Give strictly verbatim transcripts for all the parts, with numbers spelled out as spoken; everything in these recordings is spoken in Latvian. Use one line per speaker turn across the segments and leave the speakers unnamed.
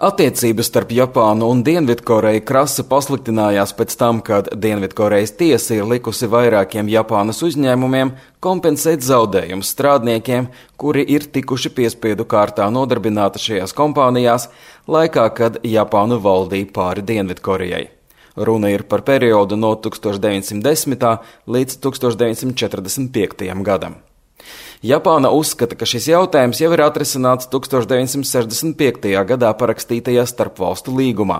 Attiecības starp Japānu un Dienvidkoreju krasi pasliktinājās pēc tam, kad Dienvidkorejas tiesa ir likusi vairākiem Japānas uzņēmumiem kompensēt zaudējumus strādniekiem, kuri ir tikuši piespiedu kārtā nodarbināti šajās kompānijās laikā, kad Japānu valdīja pāri Dienvidkorejai. Runa ir par periodu no tūkstoš deviņsimt desmitā līdz tūkstoš deviņsimt četrdesmit piektajam gadam. Japāna uzskata, ka šis jautājums jau ir atrisināts tūkstoš deviņsimt sešdesmit piektajā gadā parakstītajā starpvalstu līgumā.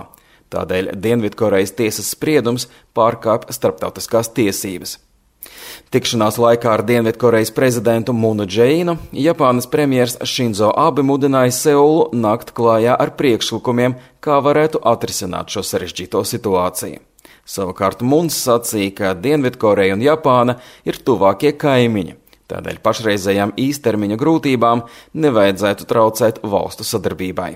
Tādēļ Dienvidkorejas tiesas spriedums pārkāpj starptautiskās tiesības. Tikšanās laikā ar Dienvidkorejas prezidentu Munu Džeinu Japānas premjers Šinzo Abe mudināja Seulu nākt klājā ar priekšlikumiem, kā varētu atrisināt šo sarežģīto situāciju. Savukārt Muns sacīja, ka Dienvidkoreja un Japāna ir tuvākie kaimiņi. Tādēļ pašreizējām īstermiņa grūtībām nevajadzētu traucēt valstu sadarbībai.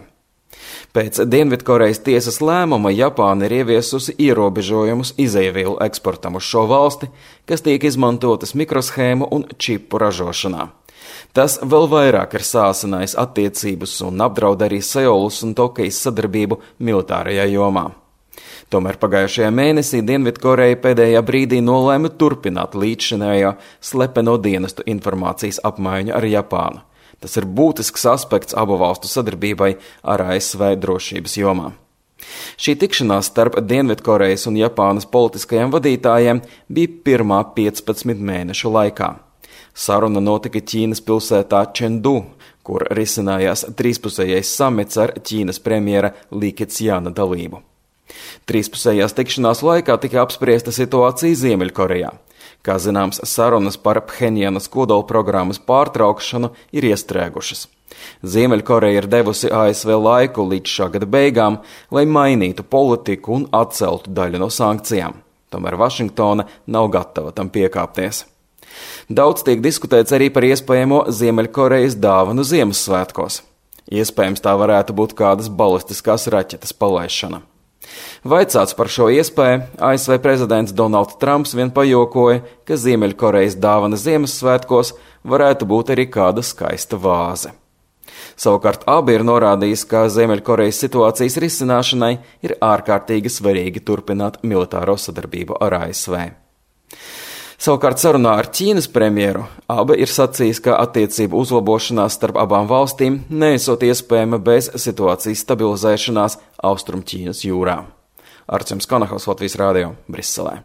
Pēc Dienvidkorejas tiesas lēmuma Japāna ir ieviesusi ierobežojumus izejvielu eksportam uz šo valsti, kas tiek izmantotas mikroshēmu un čipu ražošanā. Tas vēl vairāk ir sāsinājis attiecības un apdraud arī Seulas un Tokijas sadarbību militārajā jomā. Tomēr pagājušajā mēnesī Dienvidkoreja pēdējā brīdī nolēma turpināt līdzšinējo slepeno dienestu informācijas apmaiņu ar Japānu. Tas ir būtisks aspekts abu valstu sadarbībai ar A S V drošības jomā. Šī tikšanās starp Dienvidkorejas un Japānas politiskajiem vadītājiem bija pirmā piecpadsmit mēnešu laikā. Saruna notika Ķīnas pilsētā Čendu, kur risinājās trīspusējais samits ar Ķīnas premjera Li Keqiana dalību. Trīspusējās tikšanās laikā tika apspriesta situācija Ziemeļkorejā. Kā zināms, sarunas par Phenjanas kodolprogrammas pārtraukšanu ir iestrēgušas. Ziemeļkoreja ir devusi A S V laiku līdz šā gada beigām, lai mainītu politiku un atceltu daļu no sankcijām. Tomēr Vašingtona nav gatava tam piekāpties. Daudz tiek diskutēts arī par iespējamo Ziemeļkorejas dāvanu Ziemassvētkos. Iespējams, tā varētu būt kādas balistiskās raķetes palaišana. Vaicāts par šo iespēju, A S V prezidents Donalds Trumps vien pajokoja, ka Ziemeļkorejas dāvana Ziemassvētkos varētu būt arī kāda skaista vāze. Savukārt abi ir norādījis, ka Ziemeļkorejas situācijas risināšanai ir ārkārtīgi svarīgi turpināt militāro sadarbību ar A S V. Savukārt sarunā ar Ķīnas premjeru Abe ir sacījis, ka attiecību uzlabošanās starp abām valstīm neesot iespējama bez situācijas stabilizēšanās Austrumķīnas jūrā. Arčuns Kanahovs, Latvijas Rādio, Briselē.